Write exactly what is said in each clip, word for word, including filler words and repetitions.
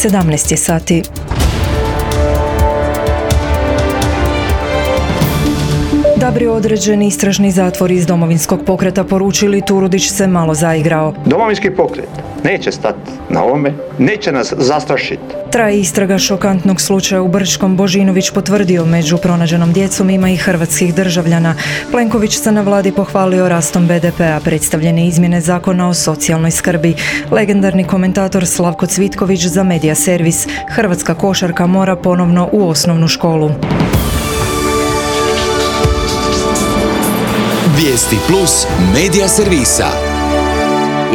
sedamnaest je sati. Dabri određeni istražni zatvor iz Domovinskog pokreta, poručili Turudić se malo zaigrao. Domovinski pokret neće stati na ovome, neće nas zastrašiti. Traje istraga šokantnog slučaja u Brčkom. Božinović potvrdio među pronađenom djecom ima i hrvatskih državljana. Plenković se na vladi pohvalio rastom be de pea, predstavljene izmjene zakona o socijalnoj skrbi. Legendarni komentator Slavko Cvitković za Medija servis. Hrvatska košarka mora ponovno u osnovnu školu. Vijesti plus Medija servisa.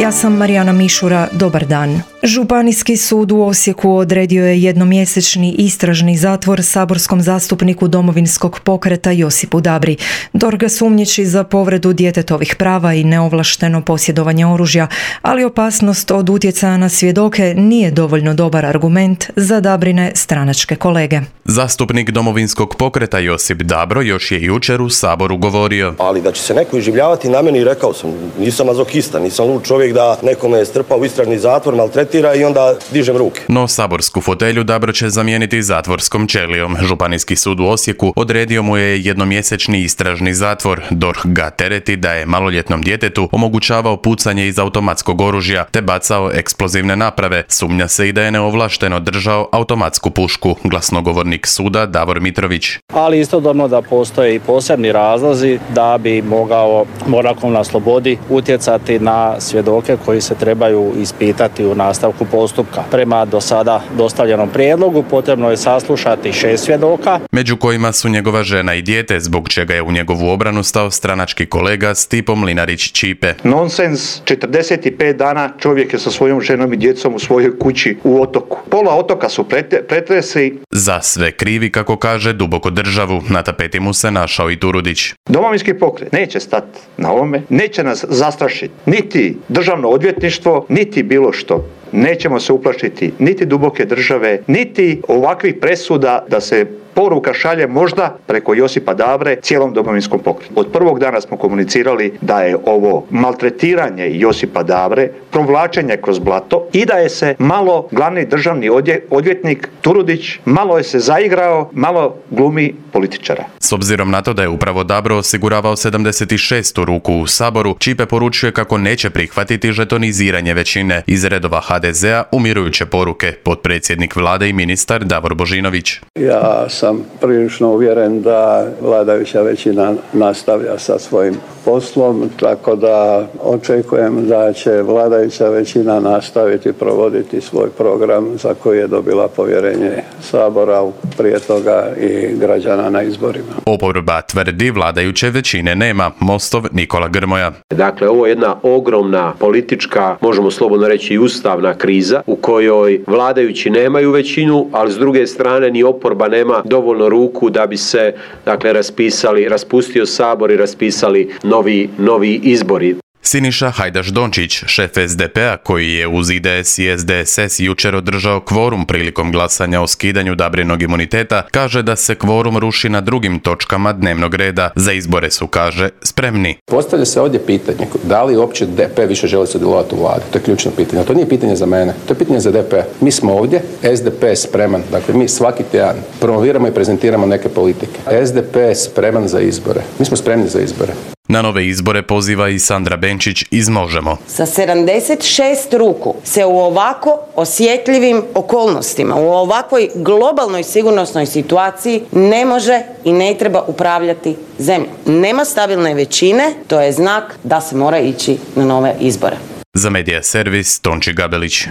Ja sam Marijana Mišura, dobar dan. Županijski sud u Osijeku odredio je jednomjesečni istražni zatvor saborskom zastupniku Domovinskog pokreta Josipu Dabri. D O R H ga sumnjiči za povredu djetetovih prava i neovlašteno posjedovanje oružja, ali opasnost od utjecaja na svjedoke nije dovoljno dobar argument za Dabrine stranačke kolege. Zastupnik Domovinskog pokreta Josip Dabro još je jučer u Saboru govorio. Ali da će se neko iživljavati na meni, rekao sam, nisam mazohista, nisam lud čovjek da nekome je strpao u istražni zatvor, maltretira i onda dižem ruke. No saborsku fotelju Dabro će zamijeniti zatvorskom ćelijom. Županijski sud u Osijeku odredio mu je jednomjesečni istražni zatvor. D O R H ga tereti da je maloljetnom djetetu omogućavao pucanje iz automatskog oružja te bacao eksplozivne naprave. Sumnja se i da je neovlašteno držao automatsku pušku. Glasnogovornik suda Davor Mitrović. Ali istodobno da postoje i posebni razlozi da bi mogao boravkom na slobodi utjecati na svjedoke koji se trebaju ispitati u nastavku postupka. Prema do sada dostavljenom prijedlogu potrebno je saslušati šest svjedoka, među kojima su njegova žena i dijete, zbog čega je u njegovu obranu stao stranački kolega Stipo Mlinarić-Ćipe. Nonsens, četrdeset pet dana čovjek je sa svojom ženom i djecom u svojoj kući u Otoku. Pola Otoka su pretresi. Za sve krivi, kako kaže, duboko državu. Na tapeti mu se našao i Turudić. Domovinski pokret neće stati na ovome, neće nas zastrašiti. Niti državno odvjetništvo, niti bilo što. Nećemo se uplašiti niti duboke države, niti ovakvih presuda da se poruka šalje možda preko Josipa Dabre cijelom Domovinskom pokretu. Od prvog dana smo komunicirali da je ovo maltretiranje Josipa Dabre, provlačenje kroz blato i da je se malo glavni državni odvjetnik Turudić malo je se zaigrao, malo glumi političara. S obzirom na to da je upravo Dabro osiguravao sedamdeset šestu ruku u Saboru, Ćipe poručuje kako neće prihvatiti žetoniziranje većine. Iz redova ha de zea umirujuće poruke potpredsjednik vlade i ministar Davor Božinović. Ja sam prilično uvjeren da vladajuća većina nastavlja sa svojim poslom, tako da očekujem da će vladajuća većina nastaviti provoditi svoj program za koji je dobila povjerenje Sabora, prije toga i građana na izborima. Oporba tvrdi vladajuće većine nema. Mostov Nikola Grmoja. Dakle, ovo je jedna ogromna politička, možemo slobodno reći i ustavna kriza u kojoj vladajući nemaju većinu, ali s druge strane ni oporba nema dovoljno ruku da bi se, dakle, raspisali, raspustio Sabor i raspisali novi, novi izbori. Siniša Hajdaš-Dončić, šef es de pea, koji je uz i de es i es de es es jučer održao kvorum prilikom glasanja o skidanju Dabrinog imuniteta, kaže da se kvorum ruši na drugim točkama dnevnog reda. Za izbore su, kaže, spremni. Postavlja se ovdje pitanje da li uopće de pe više želi sudjelovati u vladi. To je ključno pitanje. To nije pitanje za mene, to je pitanje za de pe. Mi smo ovdje, es de pe je spreman. Dakle, mi svaki tjedan promoviramo i prezentiramo neke politike. es de pe je spreman za izbore. Mi smo spremni za izbore. Na nove izbore poziva i Sandra Benčić iz Možemo. Sa sedamdeset šest ruku se u ovako osjetljivim okolnostima, u ovakvoj globalnoj sigurnosnoj situaciji ne može i ne treba upravljati zemljom. Nema stabilne većine, to je znak da se mora ići na nove izbore. Za Medija servis Tonči Gabelić.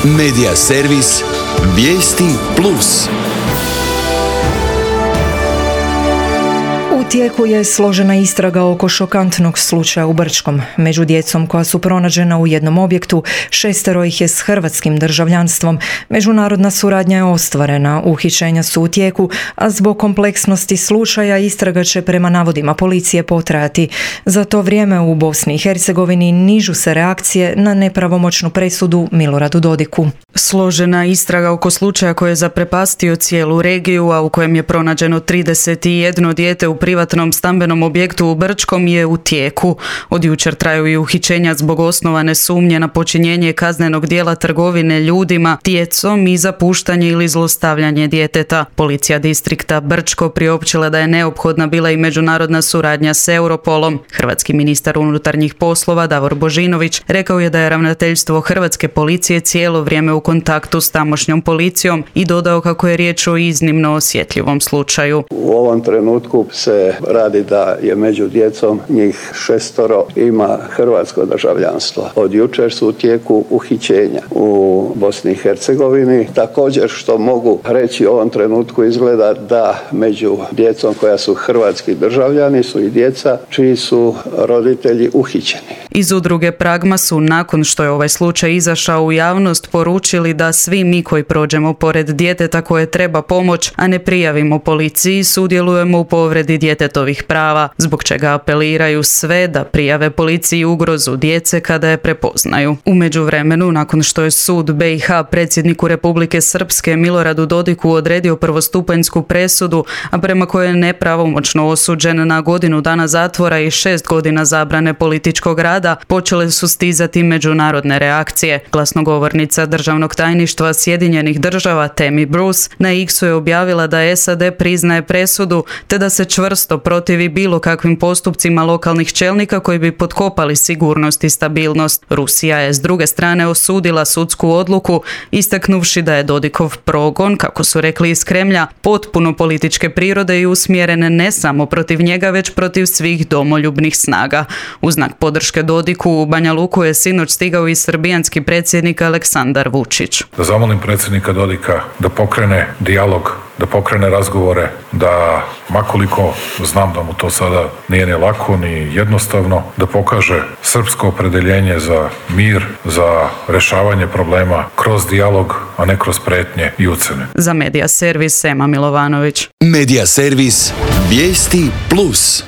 Medija servis Vijesti plus. U tijeku je složena istraga oko šokantnog slučaja u Brčkom. Među djecom koja su pronađena u jednom objektu, šestero ih je s hrvatskim državljanstvom. Međunarodna suradnja je ostvarena, uhićenja su u tijeku, a zbog kompleksnosti slučaja istraga će prema navodima policije potrajati. Za to vrijeme u Bosni i Hercegovini nižu se reakcije na nepravomoćnu presudu Miloradu Dodiku. Složena istraga oko slučaja koji je zaprepastio cijelu regiju, a u kojem je pronađeno trideset jedno dijete u privatnom privatnom stambenom objektu u Brčkom je u tijeku. Od jučer traju i uhićenja zbog osnovane sumnje na počinjenje kaznenog djela trgovine ljudima, djecom i zapuštanje ili zlostavljanje djeteta. Policija distrikta Brčko priopćila da je neophodna bila i međunarodna suradnja s Europolom. Hrvatski ministar unutarnjih poslova Davor Božinović rekao je da je ravnateljstvo hrvatske policije cijelo vrijeme u kontaktu s tamošnjom policijom i dodao kako je riječ o iznimno osjetljivom slučaju. U ovom trenutku se radi da je među djecom njih šestoro ima hrvatsko državljanstvo. Od jučer su u tijeku uhićenja u Bosni i Hercegovini. Također što mogu reći u ovom trenutku izgleda da među djecom koja su hrvatski državljani su i djeca čiji su roditelji uhićeni. Iz udruge Pragma su nakon što je ovaj slučaj izašao u javnost poručili da svi mi koji prođemo pored djeteta koje treba pomoć, a ne prijavimo policiji, sudjelujemo u povredi djetetovih prava, zbog čega apeliraju sve da prijave policiji ugrozu djece kada je prepoznaju. U međuvremenu, nakon što je sud B i H predsjedniku Republike Srpske Miloradu Dodiku odredio prvostupanjsku presudu, a prema kojoj je nepravomoćno osuđen na godinu dana zatvora i šest godina zabrane političkog rada, počele su stizati međunarodne reakcije. Glasnogovornica državnog tajništva Sjedinjenih država Tammy Bruce na X-u je objavila da S A D priznaje presudu te da se čvrsto protivi bilo kakvim postupcima lokalnih čelnika koji bi potkopali sigurnost i stabilnost. Rusija je s druge strane osudila sudsku odluku, istaknuvši da je Dodikov progon, kako su rekli iz Kremlja, potpuno političke prirode i usmjeren ne samo protiv njega, već protiv svih domoljubnih snaga. U znak podrške Dodiku u Banja Luku je sinoć stigao i srbijanski predsjednik Aleksandar Vučić. Da zamolim predsjednika Dodika da pokrene dijalog, da pokrene razgovore, da makoliko znam da mu to sada nije ni lako ni jednostavno, da pokaže srpsko opredjeljenje za mir, za rješavanje problema kroz dijalog, a ne kroz pretnje i ucjene. Za Medija servis Ema Milovanović. Medija servis Vijesti plus.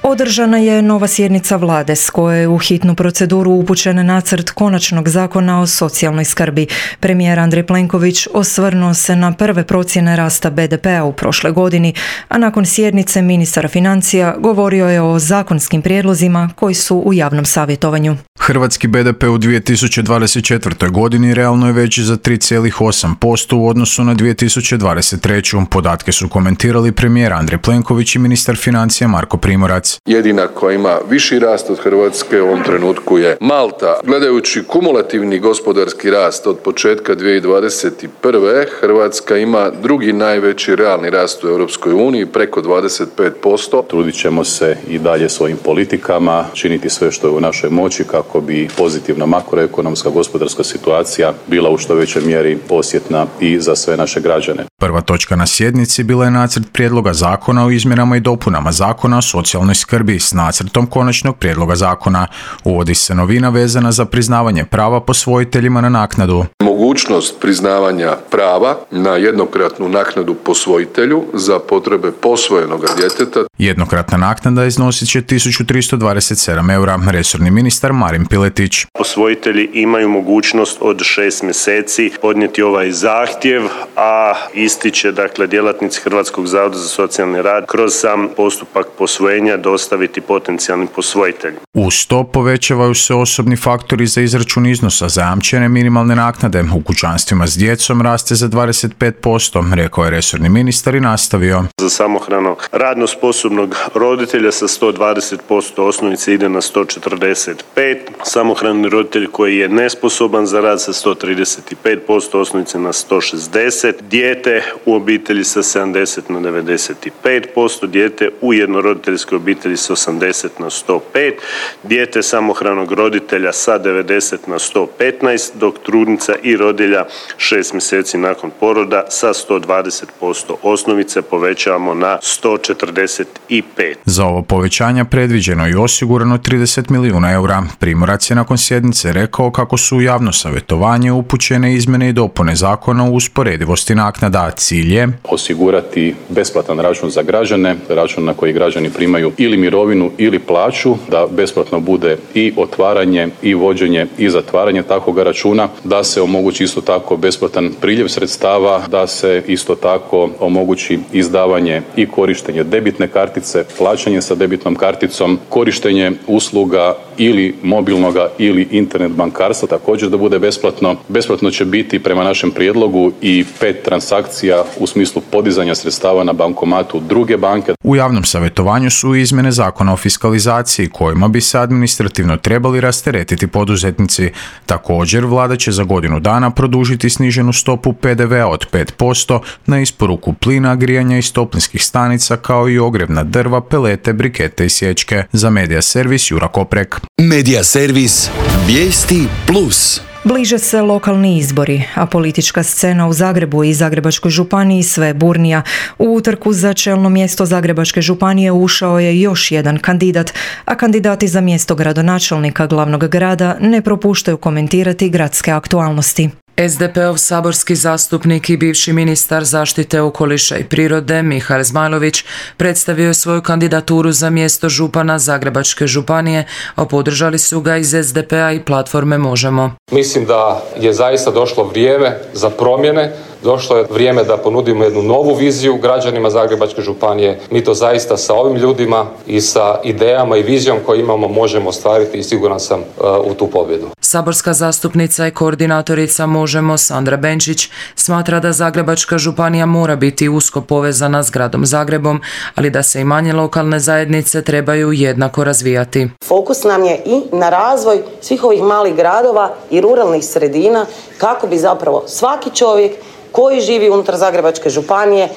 Održana je nova sjednica vlade s koje je u hitnu proceduru upućen nacrt konačnog zakona o socijalnoj skrbi. Premijer Andrej Plenković osvrnuo se na prve procjene rasta B D P-a u prošle godini, a nakon sjednice ministar financija govorio je o zakonskim prijedlozima koji su u javnom savjetovanju. Hrvatski B D P u dvije tisuće dvadeset četvrtoj godini realno je veći za tri zarez osam posto u odnosu na dvije tisuće dvadeset treću. Podatke su komentirali premijer Andrej Plenković i ministar financija Marko Primorac. Jedina koja ima viši rast od Hrvatske u ovom trenutku je Malta. Gledajući kumulativni gospodarski rast od početka dvije tisuće dvadeset prve. Hrvatska ima drugi najveći realni rast u Europskoj uniji, preko dvadeset pet posto. Trudit ćemo se i dalje svojim politikama činiti sve što je u našoj moći kako bi pozitivna makroekonomska gospodarska situacija bila u što većoj mjeri osjetna i za sve naše građane. Prva točka na sjednici bila je nacrt prijedloga zakona o izmjenama i dopunama zakona o socijalnoj skrbi s nacrtom konačnog prijedloga zakona. Uvodi se novina vezana za priznavanje prava posvojiteljima na naknadu. Mogućnost priznavanja prava na jednokratnu naknadu posvojitelju za potrebe posvojenog djeteta. Jednokratna naknada iznosit će tisuću tristo dvadeset sedam eura, resorni ministar Marin Piletić. Posvojitelji imaju mogućnost od šest mjeseci podnijeti ovaj zahtjev, a isti će dakle djelatnici Hrvatskog zavoda za socijalni rad kroz sam postupak posvojenja dostaviti potencijalnim posvojiteljima. Uz to povećavaju se osobni faktori za izračun iznosa zajamčene minimalne naknade. U kućanstvima s djecom raste za dvadeset pet posto, rekao je resorni ministar i nastavio. Za samohranog radno sposobnog roditelja sa sto dvadeset posto osnovice ide na sto četrdeset pet, samohrani roditelj koji je nesposoban za rad sa sto trideset pet posto osnovice na sto šezdeset, dijete u obitelji sa sedamdeset na devedeset pet posto, dijete u jednoroditeljskoj obitelji sa osamdeset na sto pet, dijete samohranog roditelja sa devedeset na sto petnaest, dok trudnica i rodilja šest mjeseci nakon poroda sa sto dvadeset posto osnovice povećavamo na sto četrdeset pet. Za ovo povećanje predviđeno i osigurano trideset milijuna eura. Primorac je nakon sjednice rekao kako su u javno savjetovanje upućene izmjene i dopune zakona o usporedivosti naknada. Cilj je osigurati besplatan račun za građane, račun na koji građani primaju ili mirovinu ili plaću, da besplatno bude i otvaranje i vođenje i zatvaranje takvog računa, da se omogući omogući isto tako besplatan priljev sredstava, da se isto tako omogući izdavanje i korištenje debitne kartice, plaćanje sa debitnom karticom, korištenje usluga ili mobilnoga ili internet bankarstva također da bude besplatno. Besplatno će biti prema našem prijedlogu i pet transakcija u smislu podizanja sredstava na bankomatu druge banke. U javnom savjetovanju su izmjene zakona o fiskalizaciji kojima bi se administrativno trebali rasteretiti poduzetnici. Također, vlada će za godinu dana produžiti sniženu stopu P D V-a od pet posto na isporuku plina, grijanja iz toplinskih stanica kao i ogrjevna drva, pelete, brikete i sječke. Za Medija servis Jura Koprek. Medija servis Vijesti plus. Bliže se lokalni izbori, a politička scena u Zagrebu i Zagrebačkoj županiji sve burnija. U utrku za čelno mjesto Zagrebačke županije ušao je još jedan kandidat, a kandidati za mjesto gradonačelnika glavnog grada ne propuštaju komentirati gradske aktualnosti. S D P-ov saborski zastupnik i bivši ministar zaštite okoliša i prirode Mihael Zmajlović predstavio je svoju kandidaturu za mjesto župana Zagrebačke županije, a podržali su ga iz S D P-a i platforme Možemo. Mislim da je zaista došlo vrijeme za promjene. Došlo je vrijeme da ponudimo jednu novu viziju građanima Zagrebačke županije. Mi to zaista sa ovim ljudima i sa idejama i vizijom koju imamo možemo ostvariti i siguran sam uh, u tu pobjedu. Saborska zastupnica i koordinatorica Možemo Sandra Benčić smatra da Zagrebačka županija mora biti usko povezana s gradom Zagrebom, ali da se i manje lokalne zajednice trebaju jednako razvijati. Fokus nam je i na razvoj svih ovih malih gradova i ruralnih sredina kako bi zapravo svaki čovjek koji živi unutar Zagrebačke županije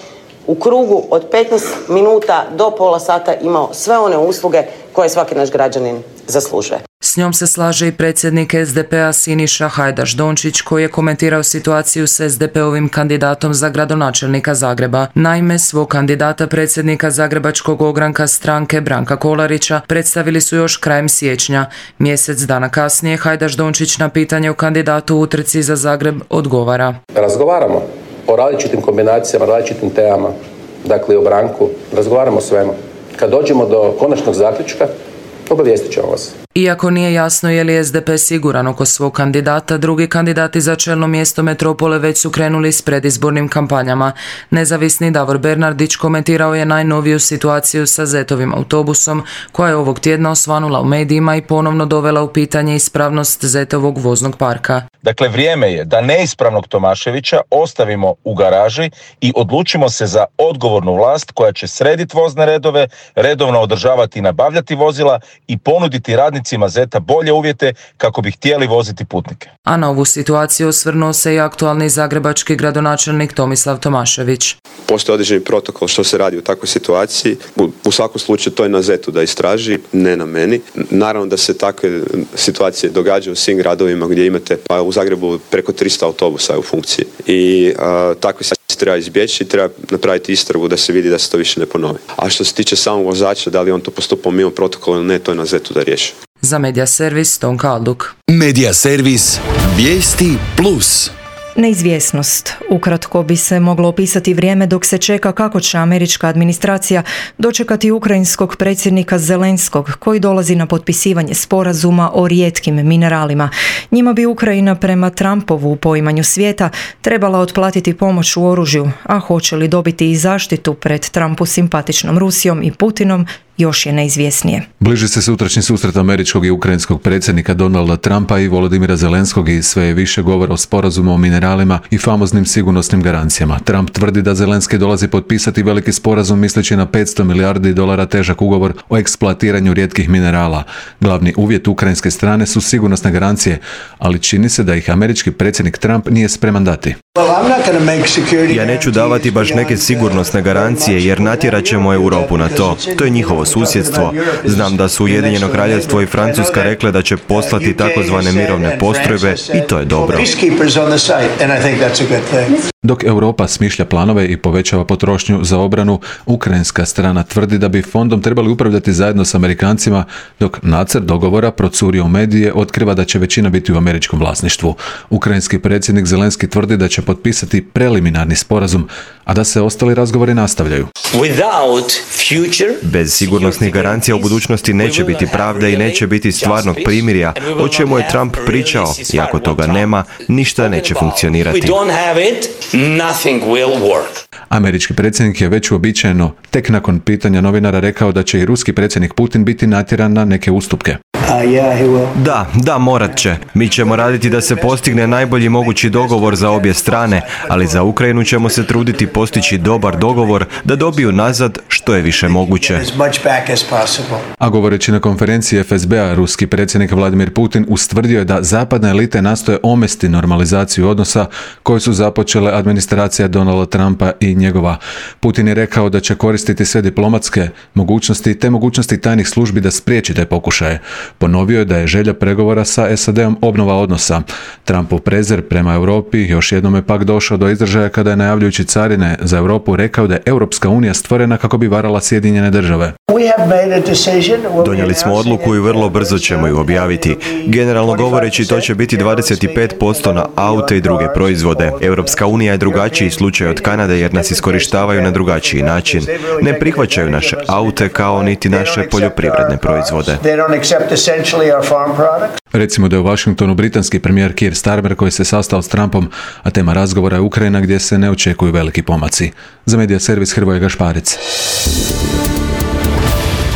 u krugu od petnaest minuta do pola sata imao sve one usluge koje svaki naš građanin zaslužuje. S njom se slaže i predsjednik S D P-a Siniša Hajdaš Dončić koji je komentirao situaciju s S D P-ovim kandidatom za gradonačelnika Zagreba. Naime, svog kandidata predsjednika Zagrebačkog ogranka stranke Branka Kolarića predstavili su još krajem siječnja. Mjesec dana kasnije Hajdaš Dončić na pitanje o kandidatu u utrci za Zagreb odgovara. Razgovaramo o različitim kombinacijama, različitim temama, dakle o Branku, razgovaramo o svemu. Kad dođemo do konačnog zaključka, obavijestit ćemo vas. Iako nije jasno je li S D P siguran oko svog kandidata, drugi kandidati za čelno mjesto metropole već su krenuli s predizbornim kampanjama. Nezavisni Davor Bernardić komentirao je najnoviju situaciju sa Zetovim autobusom, koja je ovog tjedna osvanula u medijima i ponovno dovela u pitanje ispravnost Zetovog voznog parka. Dakle, vrijeme je da neispravnog Tomaševića ostavimo u garaži i odlučimo se za odgovornu vlast koja će srediti vozne redove, redovno održavati i nabavljati vozila i ponuditi radnicima Zeta bolje uvjete kako bi htjeli voziti putnike. A na ovu situaciju osvrnuo se i aktualni zagrebački gradonačelnik Tomislav Tomašević. Postoji određeni protokol što se radi u takvoj situaciji. U, u svakom slučaju to je na Zetu da istraži, ne na meni. Naravno da se takve situacije događaju u svim gradovima gdje imate, pa u Zagrebu preko tristo autobusa u funkciji. I a, takve situacije treba izbjeći i treba napraviti istragu da se vidi da se to više ne ponovi. A što se tiče samog vozača, da li on to postupao mimo protokola ili ne, to je na Zetu da riješi. Za Medija servis Tonka Alduk. Medija servis Vijesti plus. Neizvjesnost. Ukratko bi se moglo opisati vrijeme dok se čeka kako će američka administracija dočekati ukrajinskog predsjednika Zelenskog koji dolazi na potpisivanje sporazuma o rijetkim mineralima. Njima bi Ukrajina prema Trumpovu u poimanju svijeta trebala otplatiti pomoć u oružju, a hoće li dobiti i zaštitu pred Trumpu simpatičnom Rusijom i Putinom još je neizvjesnije. Bliži se sutrašnji susret američkog i ukrajinskog predsjednika Donalda Trumpa i Volodimira Zelenskog i sve je više govora o sporazumu o mineralima i famoznim sigurnosnim garancijama. Trump tvrdi da Zelenski dolazi potpisati veliki sporazum misleći na petsto milijardi dolara težak ugovor o eksploatiranju rijetkih minerala. Glavni uvjet ukrajinske strane su sigurnosne garancije, ali čini se da ih američki predsjednik Trump nije spreman dati. Ja neću davati baš neke sigurnosne garancije jer natjerat ćemo Europu na to. To je njihovo susjedstvo. Znam da su Ujedinjeno kraljevstvo i Francuska rekle da će poslati takozvane mirovne postrojbe i to je dobro. Dok Europa smišlja planove i povećava potrošnju za obranu, ukrajinska strana tvrdi da bi fondom trebali upravljati zajedno s Amerikancima, dok nacrt dogovora procurio u medije otkriva da će većina biti u američkom vlasništvu. Ukrajinski predsjednik Zelenski tvrdi da će potpisati preliminarni sporazum, a da se ostali razgovori nastavljaju. Bez sigurnosnih garancija u budućnosti neće biti pravde i neće biti stvarnog primirja, o čemu je Trump pričao, i ako toga nema, ništa neće funkcionirati. Američki predsjednik je već uobičajeno tek nakon pitanja novinara rekao da će i ruski predsjednik Putin biti natjeran na neke ustupke. Da, da, morat će. Mi ćemo raditi da se postigne najbolji mogući dogovor za obje strane, ali za Ukrajinu ćemo se truditi postići dobar dogovor da dobiju nazad što je više moguće. A govoreći na konferenciji F S B-a, ruski predsjednik Vladimir Putin ustvrdio je da zapadne elite nastoje omesti normalizaciju odnosa koje su započele administracija Donalda Trumpa i njegova. Putin je rekao da će koristiti sve diplomatske mogućnosti te mogućnosti tajnih službi da spriječi te pokušaje. Ponovio je da je želja pregovora sa S A D-om obnova odnosa. Trumpov prezir prema Europi još jednom je pak došao do izražaja kada je najavljujući carine za Europu rekao da je Europska unija stvorena kako bi varala Sjedinjene države. Donijeli smo odluku i vrlo brzo ćemo ju objaviti. Generalno govoreći, to će biti dvadeset pet posto na aute i druge proizvode. Europska unija je drugačiji slučaj od Kanade jer nas iskorištavaju na drugačiji način. Ne prihvaćaju naše aute kao niti naše poljoprivredne proizvode. Recimo da je u Washingtonu britanski premijer Keir Starmer koji se sastao s Trumpom, a tema razgovora je Ukrajina gdje se ne očekuju veliki pomaci. Za Medija servis Hrvoje Gašparic.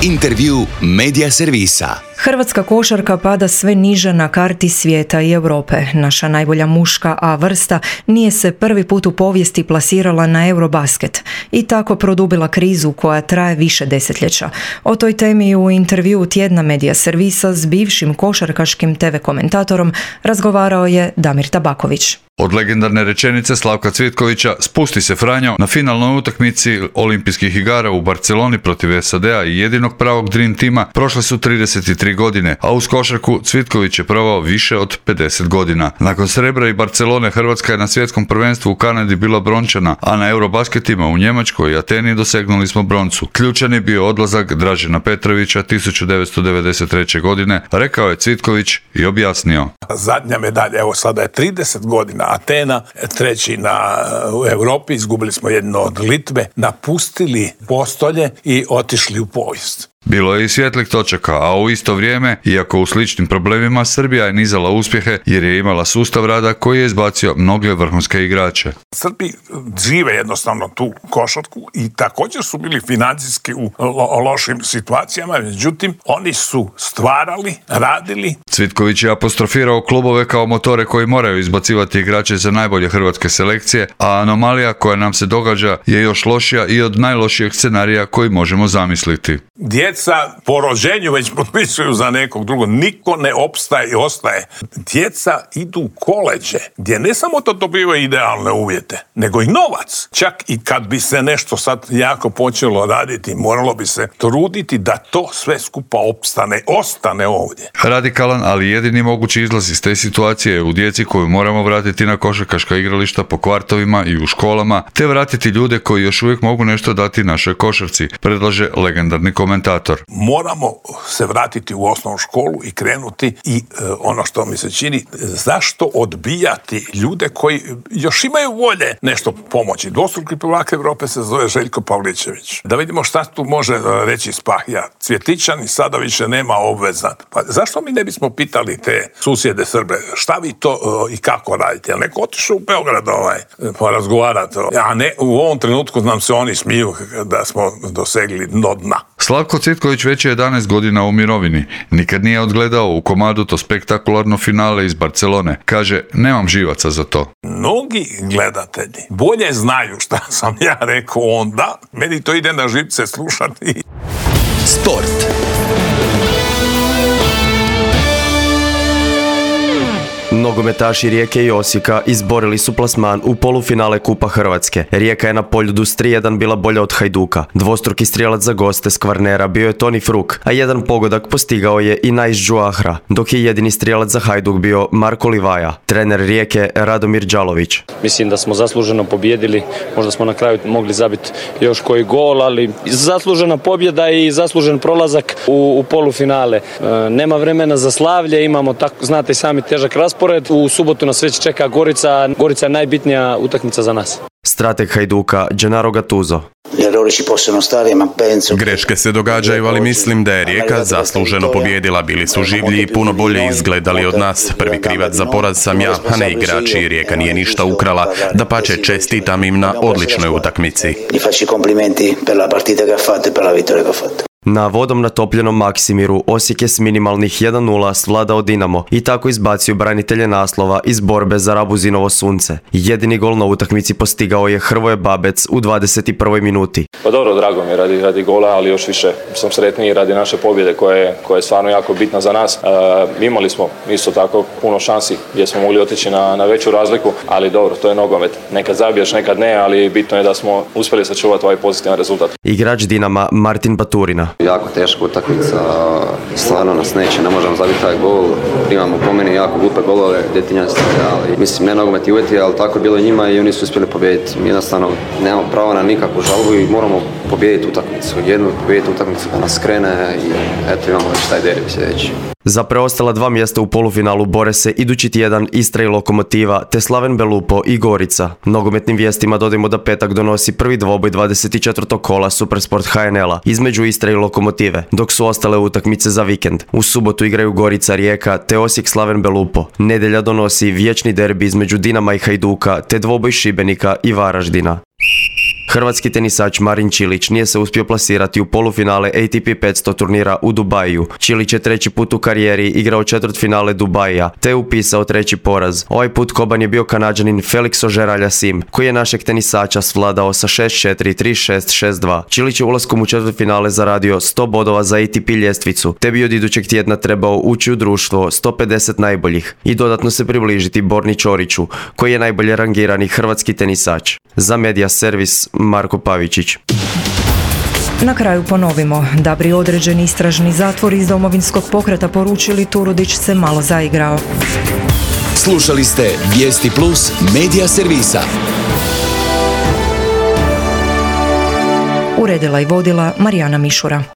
Intervju Medija servisa. Hrvatska košarka pada sve niže na karti svijeta i Europe. Naša najbolja muška A vrsta nije se prvi put u povijesti plasirala na Eurobasket i tako produbila krizu koja traje više desetljeća. O toj temi u intervjuu tjedna Medija servisa s bivšim košarkaškim te ve komentatorom razgovarao je Damir Tabaković. Od legendarne rečenice Slavka Cvitkovića "Spusti se Franjo" na finalnoj utakmici olimpijskih igara u Barceloni protiv S A D-a i jedinog pravog Dream tima prošle su trideset tri godine, a uz košarku Cvitković je provao više od pedeset godina. Nakon srebra i Barcelone, Hrvatska je na svjetskom prvenstvu u Kanadi bila brončana, a na Eurobasketima u Njemačkoj i Ateni dosegnuli smo broncu. Ključan je bio odlazak Dražena Petrovića tisuću devetsto devedeset treće. godine, rekao je Cvitković i objasnio. Zadnja medalja, evo sada je trideset godina, Atena, treći na, u Europi, izgubili smo jedno od Litve, napustili postolje i otišli u povijest. Bilo je i svjetlih točaka, a u isto vrijeme, iako u sličnim problemima, Srbija je nizala uspjehe jer je imala sustav rada koji je izbacio mnoge vrhunske igrače. Srbi žive jednostavno tu košarku i također su bili financijski u lo- lošim situacijama, međutim oni su stvarali, radili. Cvitković je apostrofirao klubove kao motore koji moraju izbacivati igrače za najbolje hrvatske selekcije, a anomalija koja nam se događa je još lošija i od najlošijeg scenarija koji možemo zamisliti. Djeca po rođenju već potpisuju za nekog drugog. Niko ne opstaje i ostaje. Djeca idu u koleđe gdje ne samo to dobivaju idealne uvjete, nego i novac. Čak i kad bi se nešto sad jako počelo raditi, moralo bi se truditi da to sve skupa opstane, ostane ovdje. Radikalan, ali jedini mogući izlaz iz te situacije je u djeci koju moramo vratiti na košarkaška igrališta po kvartovima i u školama, te vratiti ljude koji još uvijek mogu nešto dati našoj košarci, predlaže legendarni komentator. Moramo se vratiti u osnovnu školu i krenuti i e, ono što mi se čini, zašto odbijati ljude koji još imaju volje nešto pomoći. Dvostruki prvak Europe se zove Željko Pavličević. Da vidimo šta tu može reći Spahija. Cvjetićan i sada više nema obveza. Pa zašto mi ne bismo pitali te susjede Srbe, šta vi to e, i kako radite? Jel neko otišao u Beograd ovaj, porazgovarati? A ne, u ovom trenutku nam se oni smiju da smo dosegli dno dna. Slavko Cvitković već je jedanaest godina u mirovini. Nikad nije odgledao u komadu to spektakularno finale iz Barcelone. Kaže, nemam živaca za to. Mnogi gledatelji bolje znaju šta sam ja rekao onda. Meni to ide na živce slušati. Sport. Nogometaši Rijeke i Osijeka izborili su plasman u polufinale Kupa Hrvatske. Rijeka je na Poljudu s tri jedan bila bolja od Hajduka. Dvostruki strijelac za goste s Kvarnera bio je Toni Fruk, a jedan pogodak postigao je i Najs Džuahra, dok je jedini strijelac za Hajduk bio Marko Livaja. Trener Rijeke Radomir Đalović. Mislim da smo zasluženo pobijedili, možda smo na kraju mogli zabiti još koji gol, ali zaslužena pobjeda i zaslužen prolazak u, u polufinale. E, nema vremena za slavlje, imamo, tako, znate i sami, težak raspored, raspored. U subotu nas već čeka Gorica. Gorica je najbitnija utakmica za nas. Strateg Hajduka Gennaro Gattuso. Greške se događaju, ali mislim da je Rijeka zasluženo pobijedila. Bili su življi i puno bolje izgledali od nas. Prvi krivac za poraz sam ja, a ne igrači. Rijeka nije ništa ukrala. Dapače, čestitam im na odličnoj utakmici. Na vodom natopljenom Maksimiru Osijek je s minimalnih jedan nula svladao Dinamo i tako izbacio branitelje naslova iz borbe za Rabuzinovo sunce. Jedini gol na utakmici postigao je Hrvoje Babec u dvadeset prvoj minuti. Pa dobro, drago mi je radi, radi gola, ali još više sam sretniji radi naše pobjede koja, koja je stvarno jako bitna za nas. E, imali smo isto tako puno šansi gdje smo mogli otići na, na veću razliku, ali dobro, to je nogomet. Nekad zabiješ, nekad ne, ali bitno je da smo uspjeli sačuvati ovaj pozitivan rezultat. Igrač Dinama Martin Baturina. Jako teška utakmica, stvarno nas neće, ne možemo zabiti taj gol. Imamo po meni jako glupe golove, djetinjanstvo, ali mislim ne nogomet i uvjeti, ali tako je bilo njima i oni su uspjeli pobijediti. Mi jednostavno nemamo pravo na nikakvu žalbu i moramo pobijediti utakmicu. Jednu pobijediti utakmicu da nas krene i eto imamo već taj derbi sljedeći. Za preostala dva mjesta u polufinalu bore se idući tjedan Istra i Lokomotiva, te Slaven Belupo i Gorica. Nogometnim vijestima dodajmo da petak donosi prvi dvoboj dvadeset četvrtog kola Supersport H N L-a između Istre i Lokomotive, dok su ostale utakmice za vikend. U subotu igraju Gorica Rijeka te Osijek Slaven Belupo. Nedjelja donosi vječni derbi između Dinama i Hajduka te dvoboj Šibenika i Varaždina. Hrvatski tenisač Marin Čilić nije se uspio plasirati u polufinale A T P petsto turnira u Dubaju. Čilić je treći put u karijeri igrao četvrtfinale Dubaija, te je upisao treći poraz. Ovaj put koban je bio Kanađanin Felix Auger-Aliassime, koji je našeg tenisača svladao sa šest četiri, tri šest, šest dva. Čilić je ulaskom u četvrtfinale zaradio sto bodova za A T P ljestvicu, te bi od idućeg tjedna trebao ući u društvo sto pedeset najboljih i dodatno se približiti Borni Ćoriću, koji je najbolje rangirani hrvatski tenisač. Za Media Servis Marko Pavičić. Na kraju ponovimo da bi određeni istražni zatvor iz Domovinskog pokreta poručili Turudić se malo zaigrao. Slušali ste Vijesti Plus Media Servisa. Uredila i vodila Marijana Mišura.